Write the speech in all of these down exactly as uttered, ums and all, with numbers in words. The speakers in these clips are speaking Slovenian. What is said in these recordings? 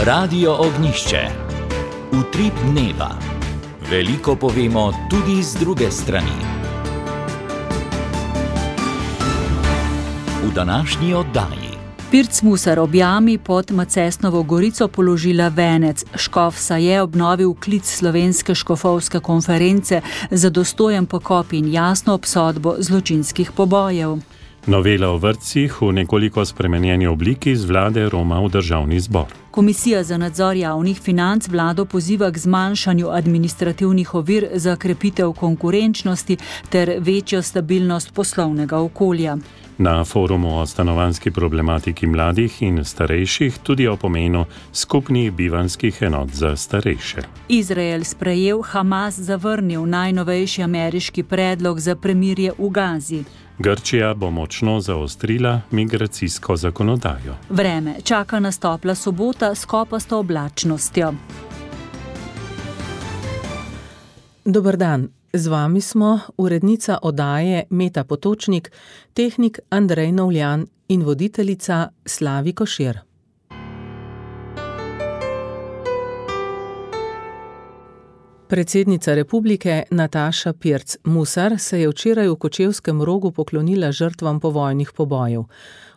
Radio Ognjišče. Utrip dneva. Veliko povemo tudi z druge strani. V današnji oddaji. Pirc Musar ob jami pod Macesnovo Gorico položila venec. Škof Saje obnovil klic Slovenske škofovske konference za dostojen pokop in jasno obsodbo zločinskih pobojev. Novela o vrtcih v nekoliko spremenjeni obliki z vlade roma v državni zbor. Komisija za nadzor javnih financ vlado poziva k zmanjšanju administrativnih ovir za krepitev konkurenčnosti ter večjo stabilnost poslovnega okolja. Na forumu o stanovanjski problematiki mladih in starejših tudi o pomenu skupnih bivanjskih enot za starejše. Izrael sprejel, Hamas zavrnil najnovejši ameriški predlog za premirje v Gazi. Grčija bo močno zaostrila migracijsko zakonodajo. Vreme čaka nas topla sobota s kopasto oblačnostjo. Dober dan. Z vami smo urednica oddaje Meta Potočnik, tehnik Andrej Novljan in voditeljica Slavi Košir. Predsednica republike Nataša Pirc Musar se je včeraj v Kočevskem Rogu poklonila žrtvam povojnih pobojev.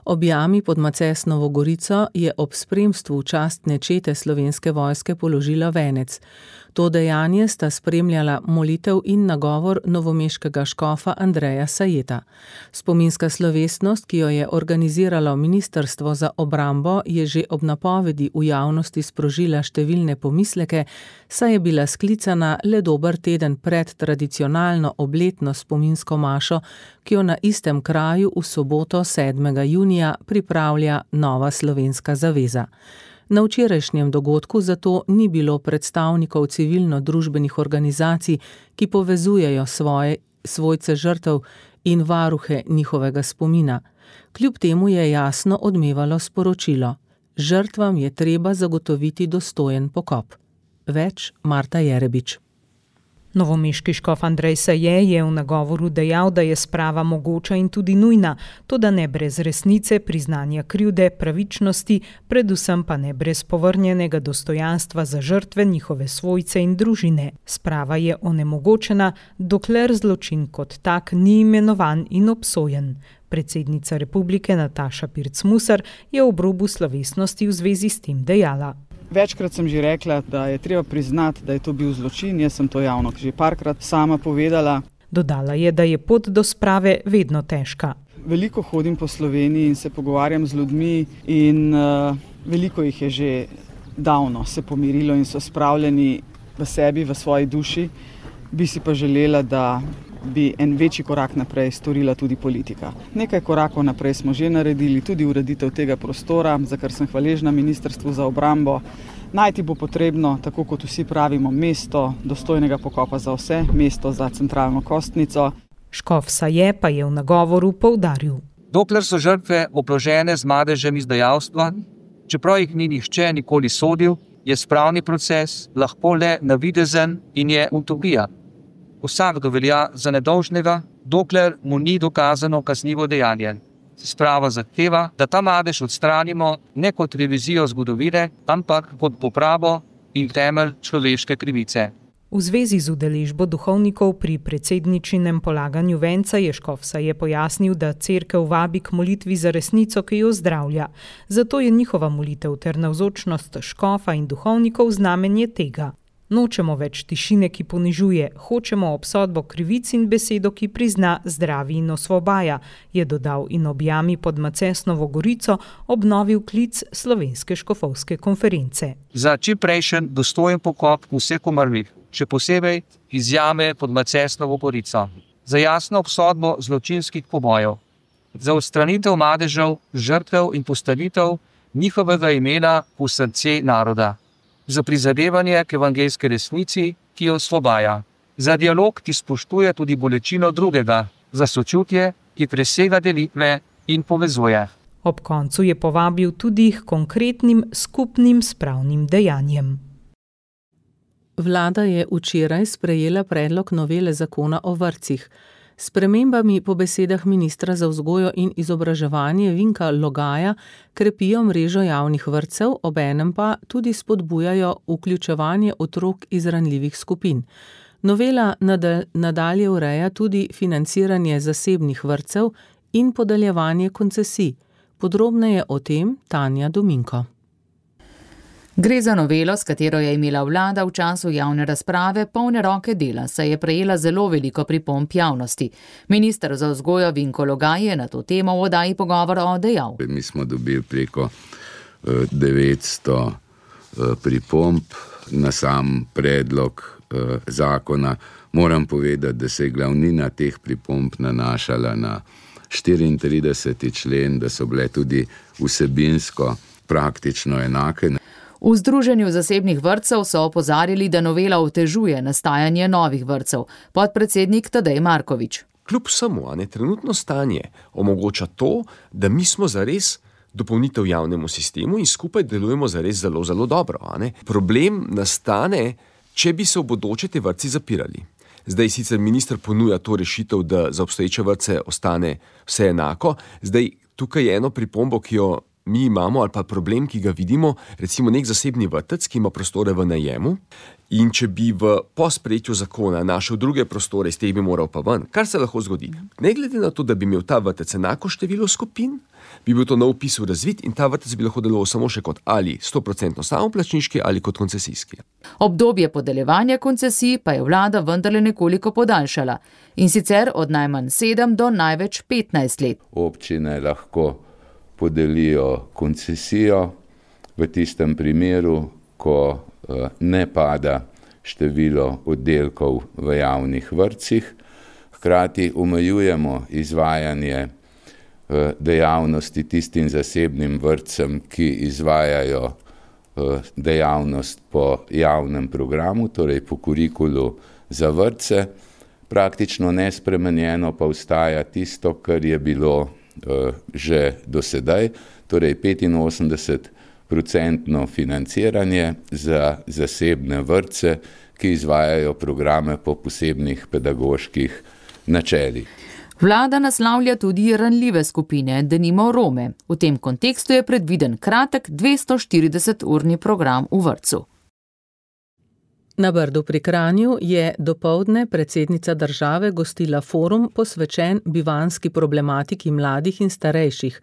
Ob jami pod Macesnovo Gorico je ob spremstvu častne čete Slovenske vojske položila venec. To dejanje sta spremljala molitev in nagovor novomeškega škofa Andreja Sajeta. Spominska slovesnost, ki jo je organiziralo Ministrstvo za obrambo, je že ob napovedi v javnosti sprožila številne pomisleke, saj je bila sklicana le dober teden pred tradicionalno obletno spominsko mašo, ki jo na istem kraju v soboto sedmega junija pripravlja Nova slovenska zaveza. Na včerajšnjem dogodku zato ni bilo predstavnikov civilno-družbenih organizacij, ki povezujejo svoje, svojce žrtev in varuhe njihovega spomina. Kljub temu je jasno odmevalo sporočilo: žrtvam je treba zagotoviti dostojen pokop. Več Marta Jerebič. Novomeški škof Andrej Saje je v nagovoru dejal, da je sprava mogoča in tudi nujna, toda ne brez resnice, priznanja krivde, pravičnosti, predvsem pa ne brez povrnjenega dostojanstva za žrtve, njihove svojce in družine. Sprava je onemogočena, dokler zločin kot tak ni imenovan in obsojen. Predsednica republike Nataša Pirc Musar je ob robu slovesnosti v zvezi s tem dejala. Večkrat sem že rekla, da je treba priznati, da je to bil zločin, jaz sem to javno že parkrat sama povedala. Dodala je, da je pot do sprave vedno težka. Veliko hodim po Sloveniji in se pogovarjam z ljudmi in uh, veliko jih je že davno se pomirilo in so spravljeni v sebi, v svoji duši. Bi si pa želela, da bi en večji korak naprej storila tudi politika. Nekaj korakov naprej smo že naredili, tudi ureditev tega prostora, za kar sem hvaležna Ministrstvu za obrambo. Najti bo potrebno, tako kot vsi pravimo, mesto dostojnega pokopa za vse, mesto za centralno kostnico. Škof Saje pa je v nagovoru poudaril. Dokler so žrtve obložene z madežem izdajalstva, čeprav jih ni nihče nikoli sodil, je spravni proces lahko le navidezen in je utopija. Vsakdo velja za nedolžnega, dokler mu ni dokazano kaznivo dejanje. Sprava zahteva, da ta madež odstranimo ne kot revizijo zgodovine, ampak kot popravo in temelj človeške krivice. V zvezi z udeležbo duhovnikov pri predsedničinem polaganju venca je škof Saje pojasnil, da cerkev vabi k molitvi za resnico, ki jo zdravlja. Zato je njihova molitev ter navzočnost škofa in duhovnikov znamenje tega. Nočemo več tišine, ki ponižuje, hočemo obsodbo krivic in besedo, ki prizna, zdravi in osvobaja, je dodal in ob jami pod Macesnovo Gorico obnovil klic Slovenske škofovske konference. Za čimprejšen dostojen pokop vseh umrlih, še posebej iz jame pod Macesnovo Gorico. Za jasno obsodbo zločinskih pobojev. Za odstranitev madežev, žrtev in postavitev njihovega imena v srce naroda. Za prizadevanje k evangeljski resnici, ki jo osvobaja. Za dialog, ki spoštuje tudi bolečino drugega. Za sočutje, ki presega delitve in povezuje. Ob koncu je povabil tudi k konkretnim skupnim spravnim dejanjem. Vlada je včeraj sprejela predlog novele zakona o vrtcih. S spremembami po besedah ministra za vzgojo in izobraževanje Vinka Logaja krepijo mrežo javnih vrtcev, obenem pa tudi spodbujajo vključevanje otrok iz ranljivih skupin. Novela nadalje ureja tudi financiranje zasebnih vrtcev in podeljevanje koncesij. Podrobneje o tem Tanja Dominko. Gre za novelo, s katero je imela vlada v času javne razprave polne roke dela, saj je prejela zelo veliko pripomb javnosti. Minister za vzgojo Vinko Logaj je na to temo v oddaji Pogovora dejal. Mi smo dobili preko devetsto pripomb na sam predlog zakona. Moram povedati, da se je glavnina teh pripomb nanašala na štiriintrideseti člen, da so bile tudi vsebinsko praktično enake. V Združenju zasebnih vrtcev so opozarjali, da novela otežuje nastajanje novih vrtcev. Podpredsednik Tadej Markovič. Kljub vsemu, a ne, trenutno stanje omogoča to, da mi smo zares dopolnitev javnemu sistemu in skupaj delujemo zares zelo, zelo dobro. A ne. Problem nastane, če bi se v bodoče te vrtci zapirali. Zdaj sicer minister ponuja to rešitev, da za obstoječe vrtce ostane vse enako. Zdaj tukaj je eno pripombo, ki jo mi imamo, ali pa problem, ki ga vidimo, recimo nek zasebni vrtec, ki ima prostore v najemu, in če bi v po sprejetju zakona našel druge prostore, iz teh bi moral pa ven, kar se lahko zgodi. Ne glede na to, da bi imel ta vrtec enako število skupin, bi bil to na vpisu razvit in ta vrtec bi lahko deloval samo še kot ali sto procentno samoplačniški ali kot koncesijski. Obdobje podeljevanja koncesij pa je vlada vendarle nekoliko podaljšala, in sicer od najmanj sedem do največ petnajst let. Občine lahko podelijo koncesijo v tistem primeru, ko ne pada število oddelkov v javnih vrtcih. Hkrati omejujemo izvajanje dejavnosti tistim zasebnim vrtcem, ki izvajajo dejavnost po javnem programu, torej po kurikulu za vrtce. Praktično nespremenjeno pa ostaja tisto, kar je bilo že do sedaj, torej petinosemdeset procentno financiranje za zasebne vrtce, ki izvajajo programe po posebnih pedagoških načelih. Vlada naslavlja tudi ranljive skupine, denimo Rome. V tem kontekstu je predviden kratek dvesto štirideset urni program v vrtcu. Na Brdu pri Kranju je dopoldne predsednica države gostila forum posvečen bivanjski problematiki mladih in starejših.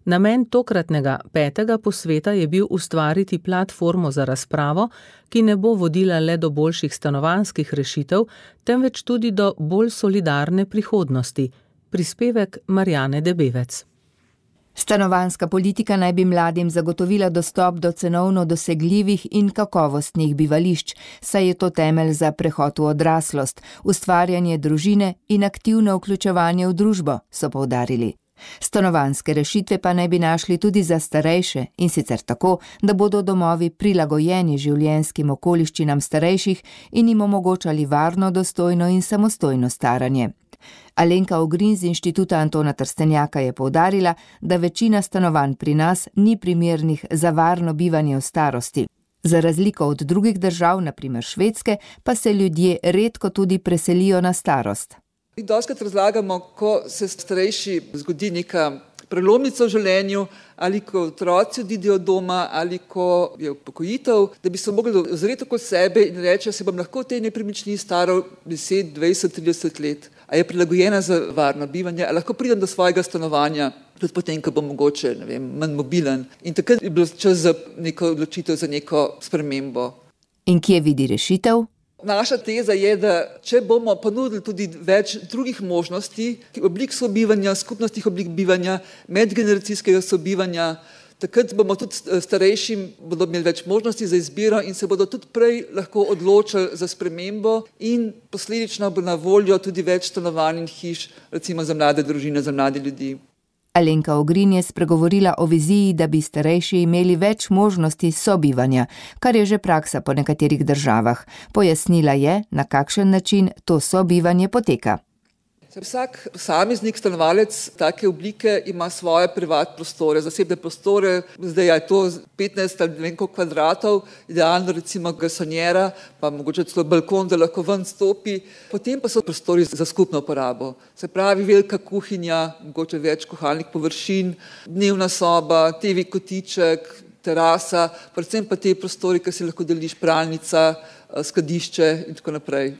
Namen tokratnega petega posveta je bil ustvariti platformo za razpravo, ki ne bo vodila le do boljših stanovanjskih rešitev, temveč tudi do bolj solidarne prihodnosti. Prispevek Marjane Debevec. Stanovanjska politika naj bi mladim zagotovila dostop do cenovno dosegljivih in kakovostnih bivališč, saj je to temelj za prehod v odraslost, ustvarjanje družine in aktivno vključevanje v družbo, so poudarili. Stanovanjske rešitve pa naj bi našli tudi za starejše, in sicer tako, da bodo domovi prilagojeni življenjskim okoliščinam starejših in jim omogočali varno, dostojno in samostojno staranje. Alenka Ogrin z Inštituta Antona Trstenjaka je poudarila, da večina stanovanj pri nas ni primernih za varno bivanje v starosti. Za razliko od drugih držav, na primer Švedske, pa se ljudje redko tudi preselijo na starost. Dostikrat razlagamo, ko se starejši zgodi neka prelomnica v življenju, ali ko otroci odidejo od doma, ali ko je upokojitev, da bi se mogli ozreti okoli sebe in reči, da se bom lahko v tej nepremičnini staral deset, dvajset, trideset let. A je prilagojena za varno bivanje, a lahko pridem do svojega stanovanja, tudi potem, ko bom mogoče, ne vem, manj mobilen. In takrat je bilo čas za neko odločitev, za neko spremembo. In kje vidi rešitev? Naša teza je, da če bomo ponudili tudi več drugih možnosti, oblik sobivanja, skupnostnih oblik bivanja, medgeneracijskega sobivanja, takrat bomo tudi starejšim bodo imeli več možnosti za izbiro in se bodo tudi prej lahko odločili za spremembo in posledično bo na voljo tudi več stanovanj in hiš, recimo za mlade družine, za mlade ljudi. Alenka Ogrin je spregovorila o viziji, da bi starejši imeli več možnosti sobivanja, kar je že praksa po nekaterih državah. Pojasnila je, na kakšen način to sobivanje poteka. Vsak posameznik, stanovalec take oblike ima svoje privatne prostore, zasebne prostore, zdaj je to petnajst ali ne vem koliko kvadratov, idealno recimo garsonjera, pa mogoče celo balkon, da lahko ven stopi. Potem pa so prostori za skupno uporabo. Se pravi velika kuhinja, mogoče več kuhalnih površin, dnevna soba, te ve kotiček, terasa, predvsem pa te prostori, ki si lahko deliš, pralnica, skladišče in tako naprej.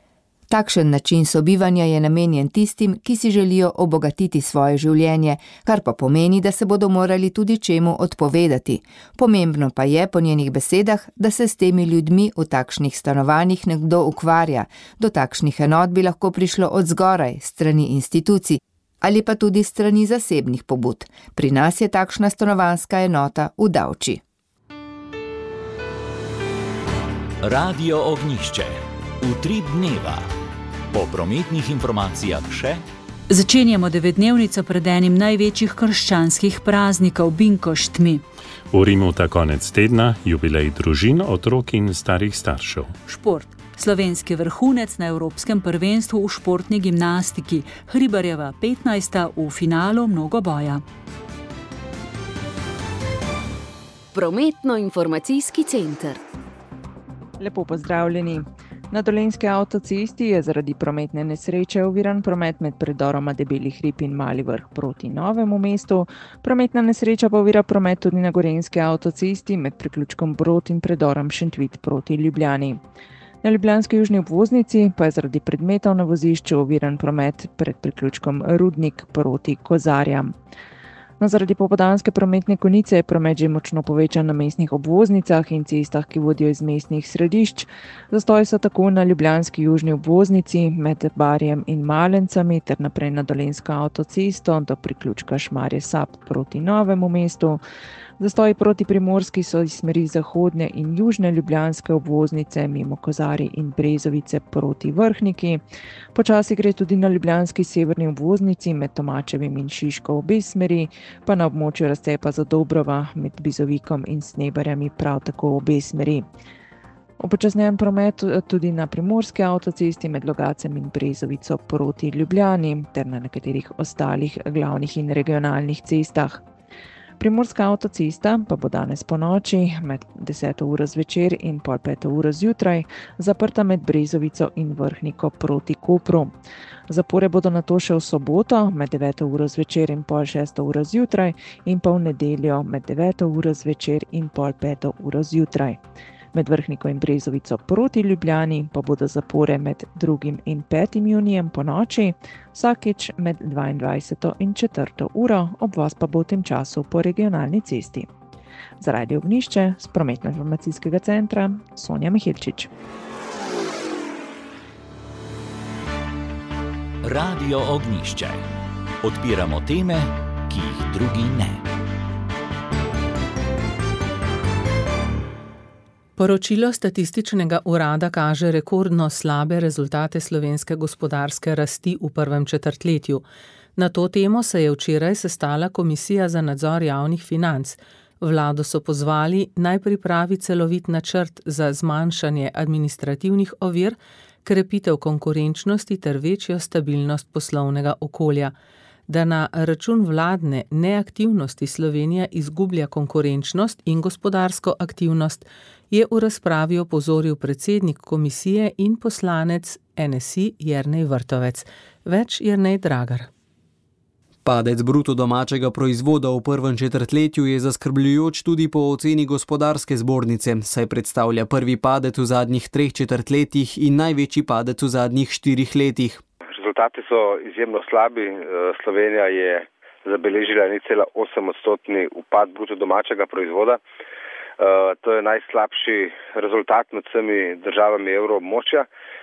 Takšen način sobivanja je namenjen tistim, ki si želijo obogatiti svoje življenje, kar pa pomeni, da se bodo morali tudi čemu odpovedati. Pomembno pa je po njenih besedah, da se s temi ljudmi v takšnih stanovanjih nekdo ukvarja. Do takšnih enot bi lahko prišlo od zgoraj, strani institucij, ali pa tudi strani zasebnih pobud. Pri nas je takšna stanovanjska enota v Davči. Radio Ognjišče. Utrip dneva. Po prometnih informacijah še. Začenjamo devetdnevnico pred enim največjih krščanskih praznikov, Binkoštmi. V Rimu ta konec tedna jubilej družin, otrok in starih staršev. Šport. Slovenski vrhunec na Evropskem prvenstvu v športni gimnastiki. Hribarjeva petnajsta v finalu mnogoboja. Prometno-informacijski center. Lepo pozdravljeni. Na Dolenjski avtocesti je zaradi prometne nesreče oviran promet med predoroma Debeli hrib in Mali Vrh proti Novemu mestu. Prometna nesreča pa ovira promet tudi na Gorenjski avtocesti med priključkom Brod in predorom Šentvid proti Ljubljani. Na ljubljanski južni obvoznici pa je zaradi predmetov na vozišču oviran promet pred priključkom Rudnik proti Kozarjam. No, zaradi popoldanske prometne konice je promet že močno povečan na mestnih obvoznicah in cestah, ki vodijo iz mestnih središč. Zastoji so tako na ljubljanski južni obvoznici med Barjem in Malencami ter naprej na Dolenjsko avtocesto do priključka Šmarje Sap proti Novemu mestu. Zastoji proti Primorski so iz smeri zahodne in južne ljubljanske obvoznice mimo Kozarij in Brezovice proti Vrhniki. Počasi gre tudi na ljubljanski severni obvoznici med Tomačevim in Šiško obe smeri, pa na območju razcepa Zadobrova med Bizovikom in Snebarjami prav tako obe smeri. Upočasnjen promet tudi na Primorski avtocesti med Logacem in Brezovico proti Ljubljani ter na nekaterih ostalih glavnih in regionalnih cestah. Primorska avtocesta pa bo danes po noči med deseto uro zvečer in pol peto uro zjutraj zaprta med Brezovico in Vrhniko proti Kopru. Zapore bodo nato še v soboto med deveto uro zvečer in pol šesto uro zjutraj in pa v nedeljo med deveto uro zvečer in pol peto uro zjutraj. Med Vrhniko in Brezovico proti Ljubljani pa bodo zapore med drugim in petim junijem po noči, vsakič med dvaindvajseto in četrto uro, obvoz pa bo v tem času po regionalni cesti. Za Radio Ognjišče z prometno-informacijskega centra Sonja Mihilčič. Radio Ognjišče. Odpiramo teme, ki jih drugi ne. Poročilo Statističnega urada kaže rekordno slabe rezultate slovenske gospodarske rasti v prvem četrtletju. Na to temo se je včeraj sestala Komisija za nadzor javnih financ. Vlado so pozvali, naj pripravi celovit načrt za zmanjšanje administrativnih ovir, krepitev konkurenčnosti ter večjo stabilnost poslovnega okolja. Da na račun vladne neaktivnosti Slovenija izgublja konkurenčnost in gospodarsko aktivnost, je v razpravi opozoril predsednik komisije in poslanec N S I Jernej Vrtovec. Več Jernej Dragar. Padec bruto domačega proizvoda v prvem četrtletju je zaskrbljujoč tudi po oceni gospodarske zbornice, saj predstavlja prvi padec v zadnjih treh četrtletjih in največji padec v zadnjih štirih letih. Rezultati so izjemno slabi. Slovenija je zabeležila nič cela osem odstotni upad bruto domačega proizvoda. To je najslabši rezultat med vsemi državami evroobmočja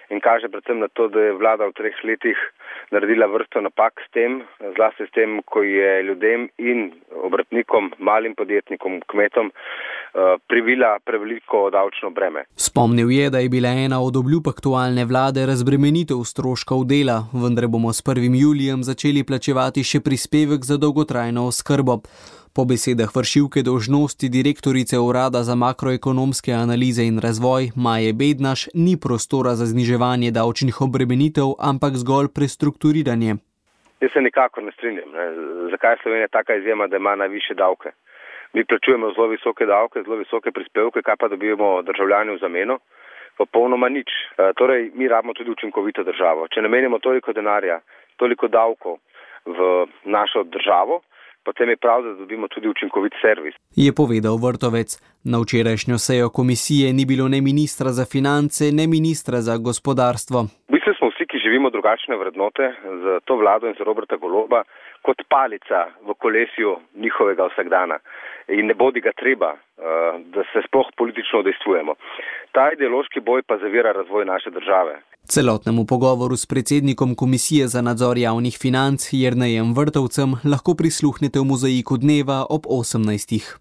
in kaže predvsem na to, da je vlada v treh letih naredila vrsto napak s tem, zlasti s tem, ko je ljudem in obrtnikom, malim podjetnikom, kmetom privila preveliko davčno breme. Spomnil je, da je bila ena od obljub aktualne vlade razbremenitev stroškov dela, vendar bomo s prvim julijem začeli plačevati še prispevek za dolgotrajno oskrbo. Po besedah vršilke dolžnosti direktorice Urada za makroekonomske analize in razvoj Maje Bednaš ni prostora za zniževanje davčnih obremenitev, ampak zgolj prestrukturiranje. Jaz se nikakor ne strinjam. Ne. Zakaj je Slovenija taka izjema, da ima najvišje davke? Mi plačujemo zelo visoke davke, zelo visoke prispevke, kaj pa dobivamo državljani v zameno? Popolnoma nič. E, torej, mi rabimo tudi učinkovito državo. Če namenimo toliko denarja, toliko davkov v našo državo, potem je prav, da dobimo tudi učinkovit servis. Je povedal Vrtovec. Na včerajšnjo sejo komisije ni bilo ne ministra za finance, ne ministra za gospodarstvo. V bistvu smo vsi, ki živimo drugačne vrednote, za to vlado in za Roberta Goloba, kot palica v kolesju njihovega vsakdana. In ne bodi ga treba, da se sploh politično udejstvujemo. Ta ideološki boj pa zavira razvoj naše države. Celotnemu pogovoru s predsednikom Komisije za nadzor javnih financ Jernejem Vrtovcem lahko prisluhnete v Mozaiku dneva ob osemnajstih.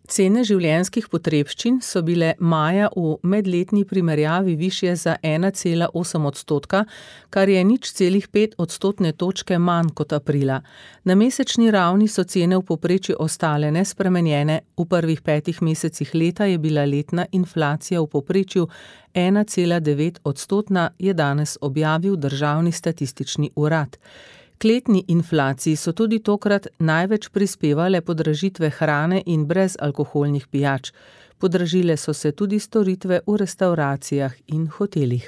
Cene življenjskih potrebščin so bile maja v medletni primerjavi višje za ena cela osem odstotka, kar je nič celih pet odstotne točke manj kot aprila. Na mesečni ravni so cene v povprečju ostale nespremenjene, v prvih petih mesecih leta je bila letna inflacija v povprečju ena cela devet odstotna, je danes objavil Državni statistični urad. K letni inflaciji so tudi tokrat največ prispevale podražitve hrane in brezalkoholnih pijač. Podražile so se tudi storitve v restavracijah in hotelih.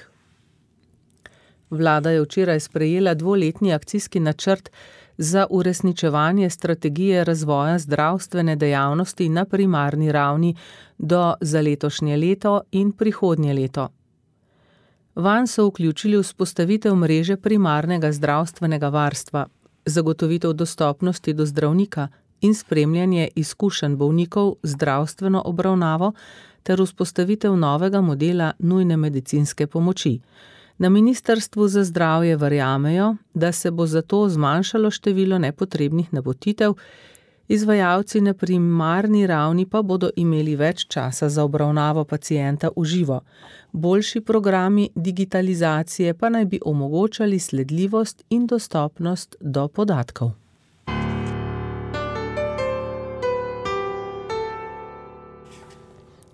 Vlada je včeraj sprejela dvoletni akcijski načrt za uresničevanje strategije razvoja zdravstvene dejavnosti na primarni ravni do za letošnje leto in prihodnje leto. Vanj so vključili vzpostavitev mreže primarnega zdravstvenega varstva, zagotovitev dostopnosti do zdravnika in spremljanje izkušenj bolnikov z zdravstveno obravnavo ter vzpostavitev novega modela nujne medicinske pomoči. Na Ministrstvu za zdravje verjamejo, da se bo zato zmanjšalo število nepotrebnih napotitev, izvajalci na primarni ravni pa bodo imeli več časa za obravnavo pacienta v živo. Boljši programi digitalizacije pa naj bi omogočali sledljivost in dostopnost do podatkov.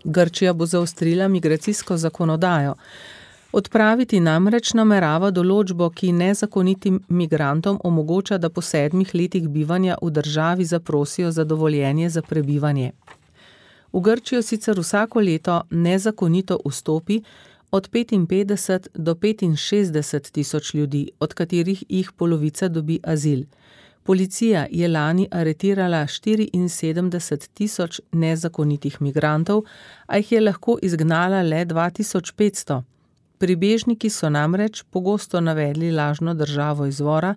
Grčija bo zaostrila migracijsko zakonodajo. Odpraviti namreč namerava določbo, ki nezakonitim migrantom omogoča, da po sedmih letih bivanja v državi zaprosijo za dovoljenje za prebivanje. V Grčijo sicer vsako leto nezakonito vstopi od petinpetdeset do petinšestdeset tisoč ljudi, od katerih jih polovica dobi azil. Policija je lani aretirala štiriinsedemdeset tisoč nezakonitih migrantov, a jih je lahko izgnala le dva tisoč petsto. Pribežniki so namreč pogosto navedli lažno državo izvora,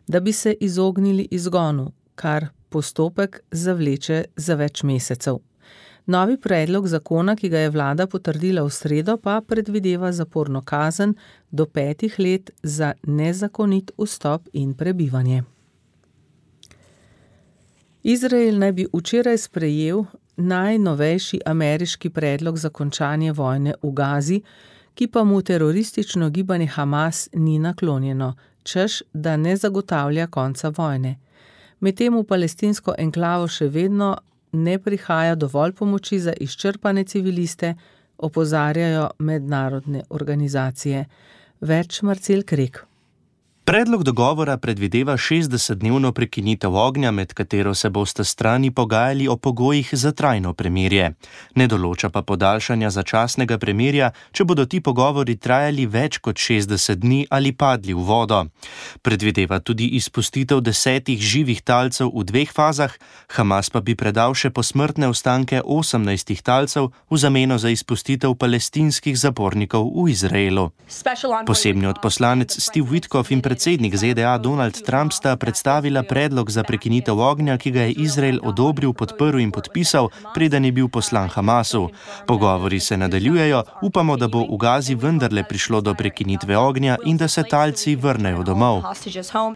da bi se izognili izgonu, kar postopek zavleče za več mesecev. Novi predlog zakona, ki ga je vlada potrdila v sredo, pa predvideva zaporno kazen do petih let za nezakonit vstop in prebivanje. Izrael naj bi včeraj sprejel najnovejši ameriški predlog za končanje vojne v Gazi, ki pa mu teroristično gibanje Hamas ni naklonjeno, češ, da ne zagotavlja konca vojne. Medtem v palestinsko enklavo še vedno ne prihaja dovolj pomoči za izčrpane civiliste, opozarjajo mednarodne organizacije. Več Marcel Krek. Predlog dogovora predvideva šestdesetdnevno prekinitev ognja, med katero se bosta strani pogajali o pogojih za trajno premirje. Ne določa pa podaljšanja začasnega premirja, če bodo ti pogovori trajali več kot šestdeset dni ali padli v vodo. Predvideva tudi izpustitev desetih živih talcev v dveh fazah, Hamas pa bi predal še posmrtne ostanke osemnajstih talcev v zameno za izpustitev palestinskih zapornikov v Izraelu. Posebni odposlanec Steve Witkoff in predsednik Z D A Donald Trump sta predstavila predlog za prekinitev ognja, ki ga je Izrael odobril, podprl in podpisal, preden je bil poslan Hamasu. Pogovori se nadaljujejo, upamo, da bo v Gazi vendarle prišlo do prekinitve ognja in da se talci vrnejo domov,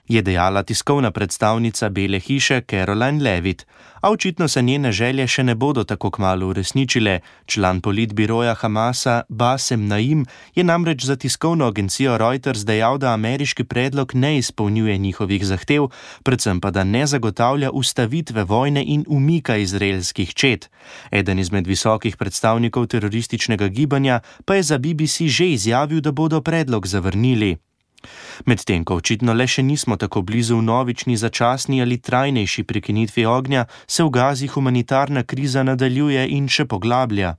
je dejala tiskovna predstavnica Bele hiše Caroline Levitt. A očitno se njene želje še ne bodo tako kmalu uresničile. Član politbiroja Hamasa Basem Naim je namreč za tiskovno agencijo Reuters dejal, da ameriški predlog ne izpolnjuje njihovih zahtev, predvsem pa da ne zagotavlja ustavitve vojne in umika izraelskih čet. Eden izmed visokih predstavnikov terorističnega gibanja pa je za B B C že izjavil, da bodo predlog zavrnili. Medtem ko očitno le še nismo tako blizu vnovični začasni ali trajnejši prekinitvi ognja, se v Gazi humanitarna kriza nadaljuje in še poglablja.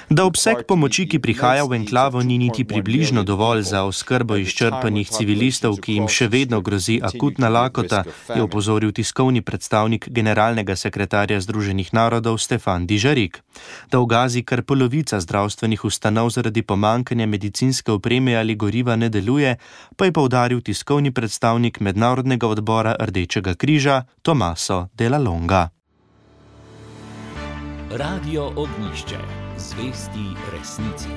Da obseg pomoči, ki prihaja v enklavo, ni niti približno dovolj za oskrbo izčrpanih civilistov, ki jim še vedno grozi akutna lakota, je opozoril tiskovni predstavnik generalnega sekretarja Združenih narodov Stefan Dižarik. Da v Gazi kar polovica zdravstvenih ustanov zaradi pomanjkanja medicinske opreme ali goriva ne deluje, pa je poudaril tiskovni predstavnik Mednarodnega odbora Rdečega križa Tomaso Della Longa. Radio Ognjišče, zvesti resnici.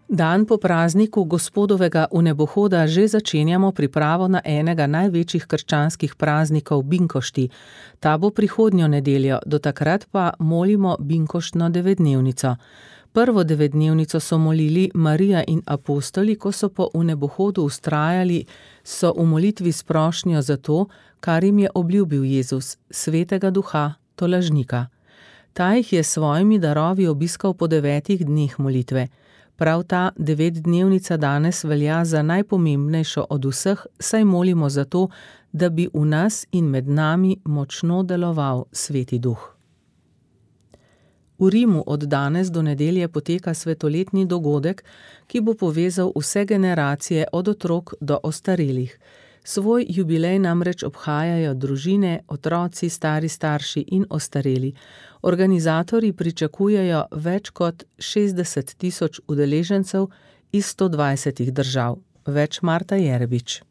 Dan po prazniku Gospodovega vnebohoda že začenjamo pripravo na enega največjih krščanskih praznikov Binkošti. Ta bo prihodnjo nedeljo, do takrat pa molimo Binkoštno devetdnevnico. Prvo devetdnevnico so molili Marija in apostoli, ko so po vnebohodu vztrajali, so v molitvi s prošnjo za to, kar jim je obljubil Jezus, svetega duha, tolažnika. Ta jih je s svojimi darovi obiskal po devetih dneh molitve. Prav ta devetdnevnica danes velja za najpomembnejšo od vseh, saj molimo za to, da bi v nas in med nami močno deloval sveti duh. V Rimu od danes do nedelje poteka svetoletni dogodek, ki bo povezal vse generacije od otrok do ostarelih. Svoj jubilej namreč obhajajo družine, otroci, stari starši in ostareli. Organizatorji pričakujejo več kot šestdeset tisoč udeležencev iz sto dvajsetih držav. Več Marta Jerbič.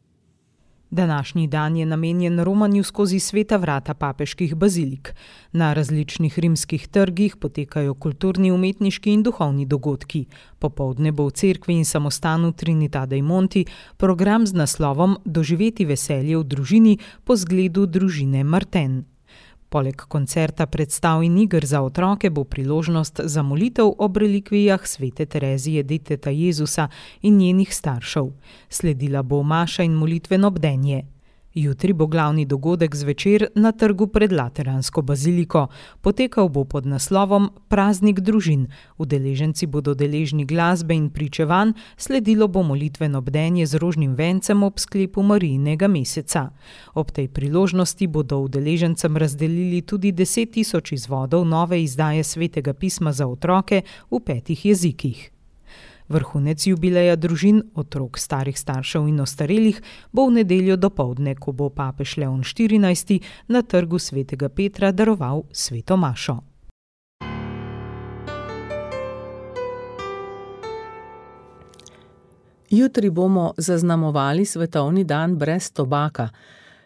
Današnji dan je namenjen romanju skozi sveta vrata papeških bazilik. Na različnih rimskih trgih potekajo kulturni, umetniški in duhovni dogodki. Popoldne bo v cerkvi in samostanu Trinità dei Monti program z naslovom Doživeti veselje v družini po zgledu družine Marten. Poleg koncerta, predstav in iger za otroke bo priložnost za molitev ob relikvijah svete Terezije deteta Jezusa in njenih staršev. Sledila bo maša in molitveno bdenje. Jutri bo glavni dogodek zvečer na trgu pred Lateransko baziliko. Potekal bo pod naslovom Praznik družin. Udeleženci bodo deležni glasbe in pričevanj, sledilo bo molitveno bdenje z rožnim vencem ob sklepu Marijinega meseca. Ob tej priložnosti bodo udeležencem razdelili tudi deset tisoč izvodov nove izdaje Svetega pisma za otroke v petih jezikih. Vrhunec jubileja družin, otrok, starih staršev in ostarelih bo v nedeljo dopoldne, ko bo papež Leon štirinajsti na trgu svetega Petra daroval sveto mašo. Jutri bomo zaznamovali svetovni dan brez tobaka.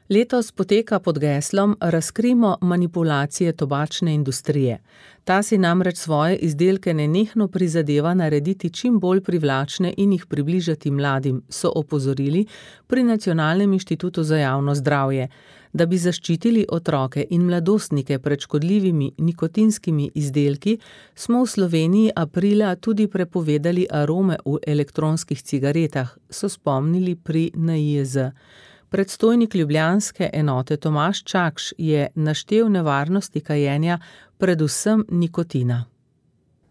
Letos poteka pod geslom Razkrimo manipulacije tobačne industrije. Ta si namreč svoje izdelke nenehno prizadeva narediti čim bolj privlačne in jih približati mladim, so opozorili pri Nacionalnem inštitutu za javno zdravje. Da bi zaščitili otroke in mladostnike pred škodljivimi nikotinskimi izdelki, smo v Sloveniji aprila tudi prepovedali arome v elektronskih cigaretah, so spomnili pri N I E Z. Predstojnik ljubljanske enote Tomaž Čakš je naštel nevarnosti kajenja predvsem nikotina.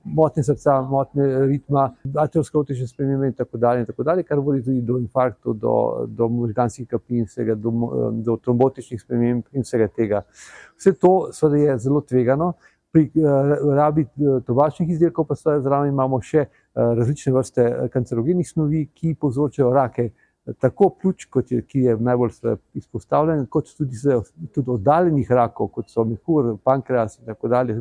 Motnje srca, motnje ritma, aterosklerotične spremembe in tako dalje in tako dalje, kar vodi tudi do infarktov, do, do možganskih kapij in vsega, do, do trombotičnih sprememb in vsega tega. Vse to seveda je zelo tvegano. Pri uh, rabi tobačnih izdelkov pa seveda zraven imamo še uh, različne vrste kancerogenih snovi, ki povzročajo rake, tako pljuč, kot je, ki je najbolj izpostavljen, kot tudi, tudi oddaljenih rakov, kot so mehur, pankreas in tako dalje.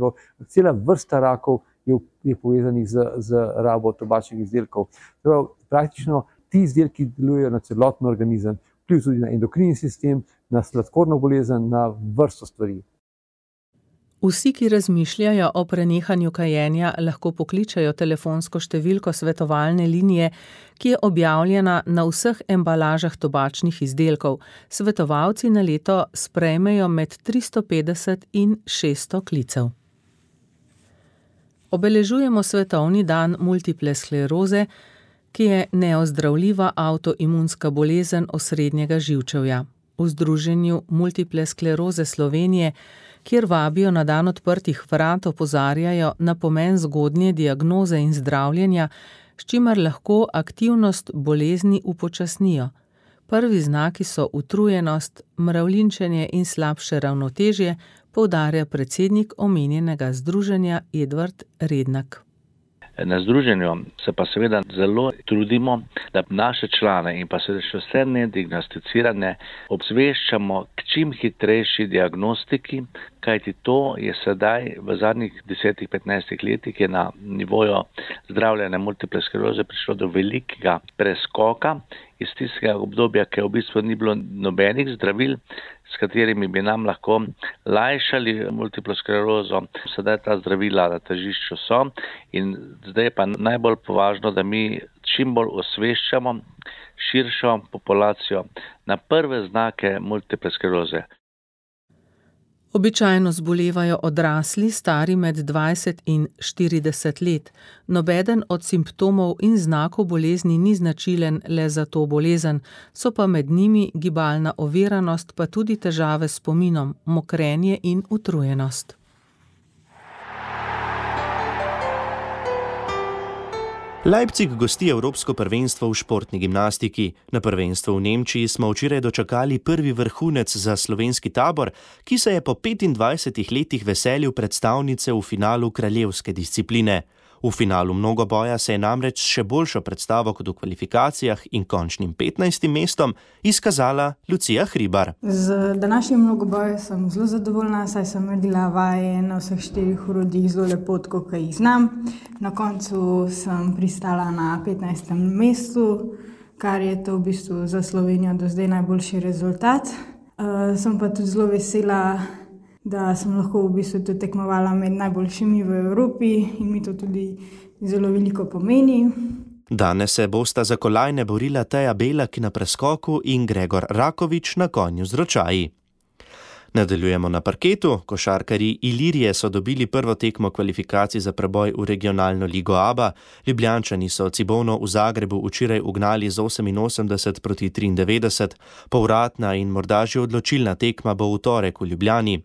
Cela vrsta rakov je, je povezanih z, z rabo tobačnih izdelkov. Prav, praktično ti izdelki delujejo na celoten organizem, vpliv tudi na endokrinni sistem, na sladkorno bolezen, na vrsto stvari. Vsi, ki razmišljajo o prenehanju kajenja, lahko pokličajo telefonsko številko svetovalne linije, ki je objavljena na vseh embalažah tobačnih izdelkov. Svetovalci na leto sprejmejo med tristo petdeset in šeststo klicev. Obeležujemo svetovni dan multiple skleroze, ki je neozdravljiva avtoimunska bolezen osrednjega živčevja. V Združenju multiple skleroze Slovenije, kjer vabijo na dan odprtih vrat, opozarjajo na pomen zgodnje diagnoze in zdravljenja, s čimer lahko aktivnost bolezni upočasnijo. Prvi znaki so utrujenost, mravljinčenje in slabše ravnotežje, poudarja predsednik omenjenega združenja Edvard Rednak. Na združenju se pa seveda zelo trudimo, da naše člane in pa seveda še vse nediagnosticirane obveščamo k čim hitrejši diagnostiki, kajti to je sedaj v zadnjih desetih, petnajstih letih je na nivoju zdravljenja multiple skleroze prišlo do velikega preskoka iz tistega obdobja, ki v bistvu ni bilo nobenih zdravil, s katerimi bi nam lahko lajšali multiplo sklerozo. Sedaj ta zdravila na tržišču so in zdaj je pa najbolj považno, da mi čim bolj osveščamo širšo populacijo na prve znake multiple skleroze. Običajno zbolevajo odrasli, stari med dvajset in štirideset let. Nobeden od simptomov in znakov bolezni ni značilen le za to bolezen, so pa med njimi gibalna oviranost, pa tudi težave s spominom, mokrenje in utrujenost. Leipzig gosti Evropsko prvenstvo v športni gimnastiki. Na prvenstvu v Nemčiji smo včeraj dočakali prvi vrhunec za slovenski tabor, ki se je po petindvajsetih letih veselil predstavnice v finalu kraljevske discipline. V finalu mnogoboja se je namreč še boljšo predstavo kot v kvalifikacijah in končnim petnajstim mestom izkazala Lucija Hribar. Z današnjim mnogobojem sem zelo zadovoljna, saj sem naredila vaje na vseh štirih orodjih zelo lepo, kot jih znam. Na koncu sem pristala na petnajstem mestu, kar je to v bistvu za Slovenijo do zdaj najboljši rezultat. Uh, sem pa tudi zelo vesela, da sem lahko v bistvu tudi tekmovala med najboljšimi v Evropi in mi to tudi zelo veliko pomeni. Danes se bosta za kolajne borila Teja Belak na preskoku in Gregor Rakovič na konju z ročaji. Nadaljujemo na parketu. Košarkarji Ilirije so dobili prvo tekmo kvalifikacij za preboj v regionalno ligo A B A. Ljubljančani so Cibonu v Zagrebu včeraj ugnali z oseminosemdeset proti triindevetdeset. Povratna in morda že odločilna tekma bo v torek v Ljubljani.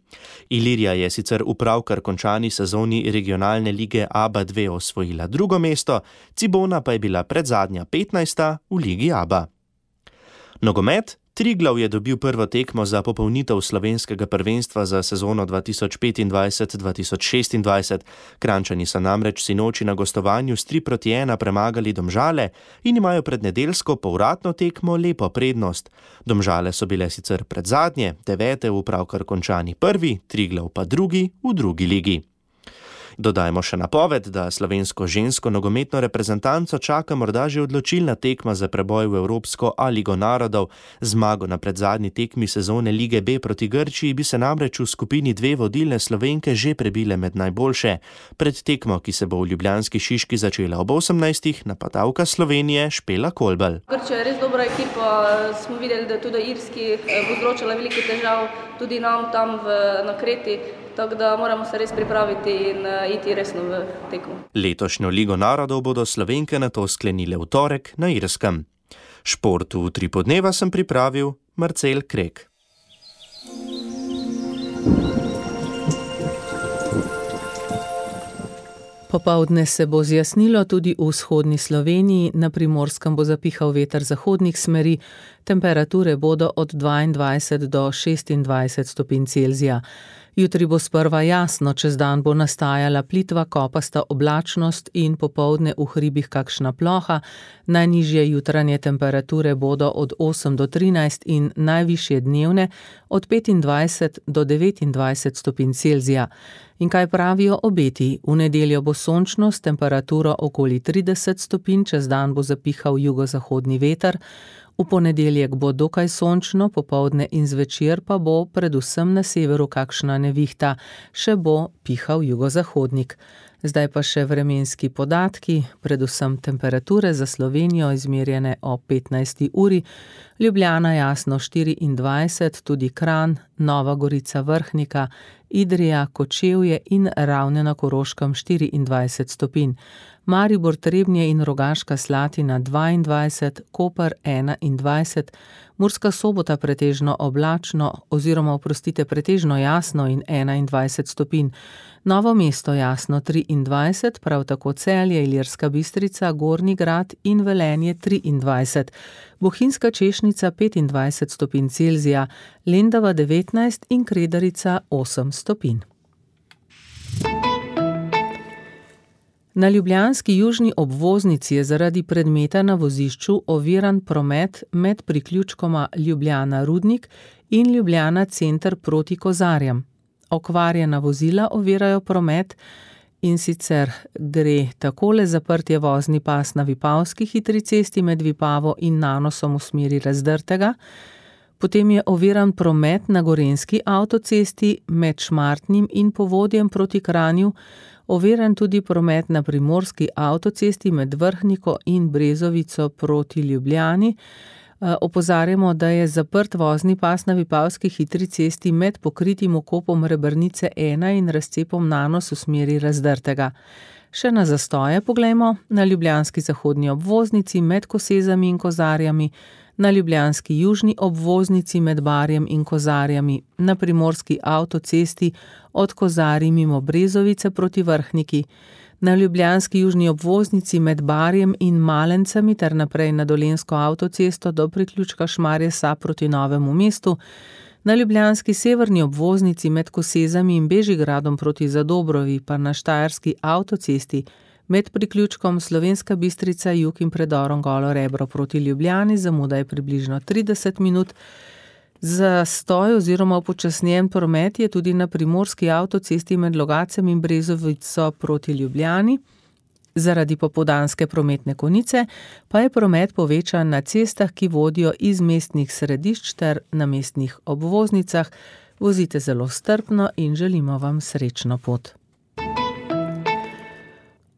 Ilirija je sicer v pravkar končani sezoni regionalne lige A B A dva osvojila drugo mesto, Cibona pa je bila predzadnja petnajsta v ligi A B A. Nogomet. Triglav je dobil prvo tekmo za popolnitev slovenskega prvenstva za sezono dva tisoč petindvajset dva tisoč šestindvajset. Kranjčani so namreč sinoči na gostovanju s tri proti ena premagali Domžale in imajo pred nedeljsko povratno tekmo lepo prednost. Domžale so bile sicer predzadnje, devete v pravkar končani prvi, Triglav pa drugi v drugi ligi. Dodajmo še napoved, da slovensko žensko nogometno reprezentanco čaka morda že odločilna tekma za preboj v Evropsko A ligo narodov. Zmago na predzadnji tekmi sezone Lige B proti Grčiji bi se namreč v skupini dve vodilne Slovenke že prebile med najboljše. Pred tekmo, ki se bo v ljubljanski Šiški začela ob osemnajstih, napadalka Slovenije Špela Kolbel. Grčija je res dobra ekipa, smo videli, da tudi Irski povzročala veliko težav, tudi nam tam v, na Kreti. Tako da moramo se res pripraviti in uh, iti resno v tekmo. Letošnjo Ligo narodov bodo Slovenke nato sklenile v torek na Irskem. Šport v tri podneva sem pripravil Marcel Krek. Popoldne se bo zjasnilo tudi v vzhodni Sloveniji, na Primorskem bo zapihal veter zahodnih smeri, temperature bodo od dvaindvajset do šestindvajset stopinj Celzija. Jutri bo sprva jasno, čez dan bo nastajala plitva kopasta oblačnost in popoldne v hribih kakšna ploha, najnižje jutranje temperature bodo od osem do trinajst in najvišje dnevne od petindvajset do devetindvajset stopinj Celzija. In kaj pravijo obeti? V nedeljo bo sončno s temperaturo okoli trideset stopinj, čez dan bo zapihal jugozahodni veter, v ponedeljek bo dokaj sončno, popoldne in zvečer pa bo predvsem na severu kakšna nevihta, še bo pihal jugozahodnik. Zdaj pa še vremenski podatki, predvsem temperature za Slovenijo izmerjene o petnajsti uri, Ljubljana jasno štiriindvajset, tudi Kranj, Nova Gorica, Vrhnika, Idrija, Kočevje in Ravne na Koroškem štiriindvajset stopinj, Maribor, Trebnje in Rogaška Slatina dvaindvajset, Koper enaindvajset, Murska Sobota pretežno oblačno oziroma oprostite pretežno jasno in enaindvajset stopinj. Novo mesto jasno triindvajset, prav tako Celje, Ilirska Bistrica, Gornji Grad in Velenje triindvajset. Bohinjska Češnica petindvajset stopinj Celzija, Lendava devetnajst in Kredarica osem stopinj. Na ljubljanski južni obvoznici je zaradi predmeta na vozišču oviran promet med priključkoma Ljubljana Rudnik in Ljubljana Center proti Kozarjem. Okvarjena vozila ovirajo promet, in sicer gre takole: zaprtje vozni pas na Vipavski hitri cesti med Vipavo in Nanosom v smeri Razdrtega, potem je oviran promet na Gorenjski avtocesti med Šmartnim in Povodjem proti Kranju, oviran tudi promet na Primorski avtocesti med Vrhniko in Brezovico proti Ljubljani. Opozarjamo, da je zaprt vozni pas na Vipavski hitri cesti med pokritim okopom Rebrnice ena in razcepom Nanos v smeri Razdrtega. Še na zastoje poglejmo: na ljubljanski zahodni obvoznici med Kosezami in Kozarjami, na ljubljanski južni obvoznici med Barjem in Kozarjami, na primorski avtocesti od Kozarij mimo Brezovice proti Vrhniki, na ljubljanski južni obvoznici med Barjem in Malencami ter naprej na Dolenjsko avtocesto do priključka Šmarje Sap proti Novemu mestu, na ljubljanski severni obvoznici med Kosezami in Bežigradom proti Zadobrovi pa na Štajerski avtocesti med priključkom Slovenska Bistrica jug in predorom Golo Rebro proti Ljubljani, zamuda je približno trideset minut. Zastoj oziroma upočasnjen promet je tudi na primorski avtocesti med Logacem in Brezovico proti Ljubljani. Zaradi popoldanske prometne konice pa je promet povečan na cestah, ki vodijo iz mestnih središč ter na mestnih obvoznicah. Vozite zelo strpno in želimo vam srečno pot.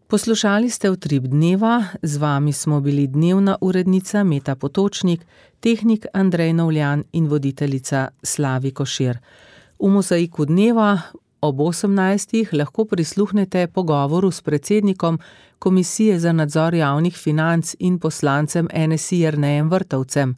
Poslušali ste Utrip dneva, z vami smo bili dnevna urednica Meta Potočnik, tehnik Andrej Novljan in voditeljica Slavi Košir. V Mozaiku dneva ob osemnajstih lahko prisluhnete pogovoru s predsednikom Komisije za nadzor javnih financ in poslancem N S I Jernejem Vrtovcem.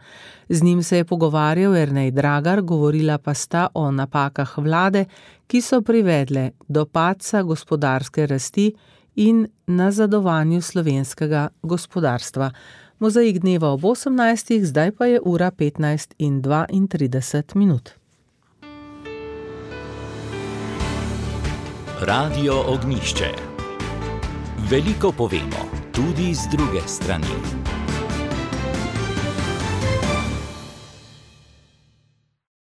Z njim se je pogovarjal Jernej Dragar, govorila pa sta o napakah vlade, ki so privedle do padca gospodarske rasti in nazadovanju slovenskega gospodarstva. Mozaik dneva ob osemnajstih, zdaj pa je ura petnajst in dvaintrideset minut. Radio Ognjišče. Veliko povemo, tudi z druge strani.